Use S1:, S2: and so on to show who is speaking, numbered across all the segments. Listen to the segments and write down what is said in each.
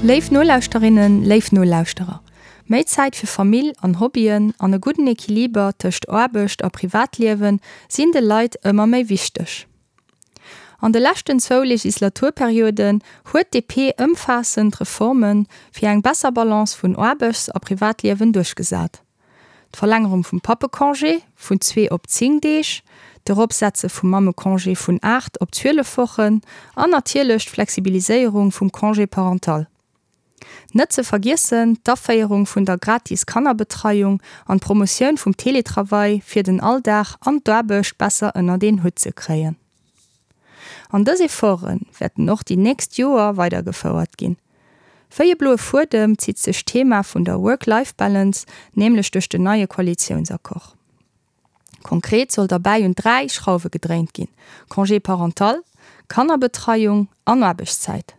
S1: Léif Nolauschterinnen, léif Nolauschterer, méi Zäit fir Famill an Hobbyen an e gudden Equiliber tëscht Aarbecht a Privatliewe sinn de Leit ëmmer méi wichteg. An de leschten zwou Legislaturperioden huet d'DP ëmfaassend Reforme fir eng besser Balance vun Aarbechts a Privatliewen duerchgesat. D'Verlängerung vum Pappecongé vun zwee op 10 Deeg, d'Eropsetze vum Mammecongé vun 8 op 12 Wochen an natierlech d'Flexibiliséierung vum Congé parental. Net ze vergiessen d'Aféierung vun der gratis Kannerbetreiung an d'Promotioun vum Teletravail fir den Alldag an d'Aarbecht besser ënnert een Hutt ze kréien. An dës Efforte wäerten och déi nächst Joer weidergefouert ginn. Wéi e bloe Fuedem zitt sech d'Thema vun der Work-Life-Balance nämlech duerch den neie Koalitiounsaccord. Konkret soll derbäi un 3 Schrauwe gedréint ginn, Congé parental, Kannerbetreiung an Aarbechtszäit.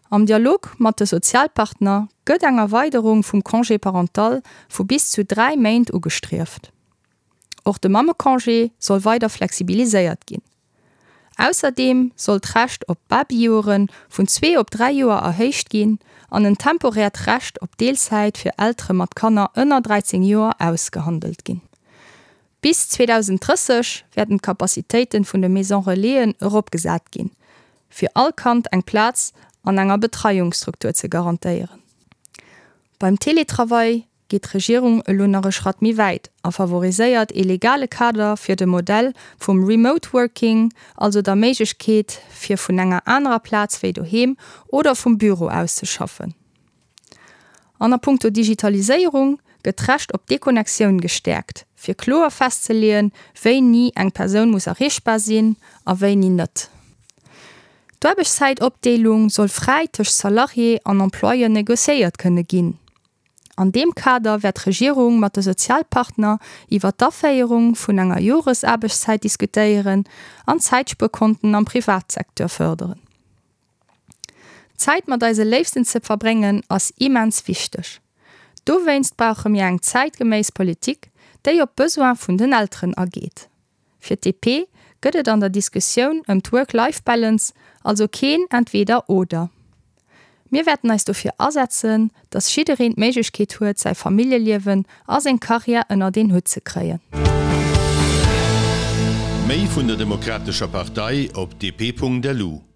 S1: Am Dialog mat de Sozialpartner gëtt eng Erweiderung vum Congé parental vu bis zu 3 Méint ugestrieft. Och de Mammecongé soll weider flexibiliséiert ginn. Ausserdeem soll d'Recht op Babyjoere vun zwee op 3 Joer erhéicht ginn an en temporäert Recht op Deelzäit fir Eltere mat Kanner ënner 13 Joer ausgehandelt ginn. Bis 2030 wäerten d'Capacitéite vun de Maison Relaisen eropgesat ginn, fir all Kand eng Plaz an enger Betreiungsstruktur ze garantéieren. Beim Teletravail geet d'Regierung elo nach e Schratt méi wäit a favoriséiert ee legale Kader fir de Modell vum Remote Working, also der Méiglechkeet fir vun enger anerer Plaz wéi doheem oder vum Büro aus ze schaffen. An a punkto Digitaliséierung gëtt d'Recht op Deconnectioun gestäerkt, fir kloer festzeleeën, wéini eng Persoun muss erreechbar sinn a wéini net. D'Aarbechtszäitopdeelung soll fräi tëscht Salarié an Employeur negociéiert kënne ginn. An deem Kader wäert d'Regierung mat de Sozialpartner iwwer d'Aféierung vun enger Joresaarbechtszäit diskutéieren an Zäitspuerkonten am Privatsecteur fërderen. Zäit mat eise Léifsten ze verbréngen ass immens wichteg. Dowéinst brauche mir eng zäitgeméiss Politik, déi op d'Besoin vun den Elteren ageet. Fir d'DP gëtt et an der Diskussioun ëm d'Work-Life-Balance also keen Entweder-Oder. Mir wäerten eis dofir asetzen, datt jiddereen d'Méiglechkeet huet, säi Familljeliewen a seng Karriär ënnert een Hutt ze kréien.
S2: Méi vun der Demokratescher Partei op dp.lu.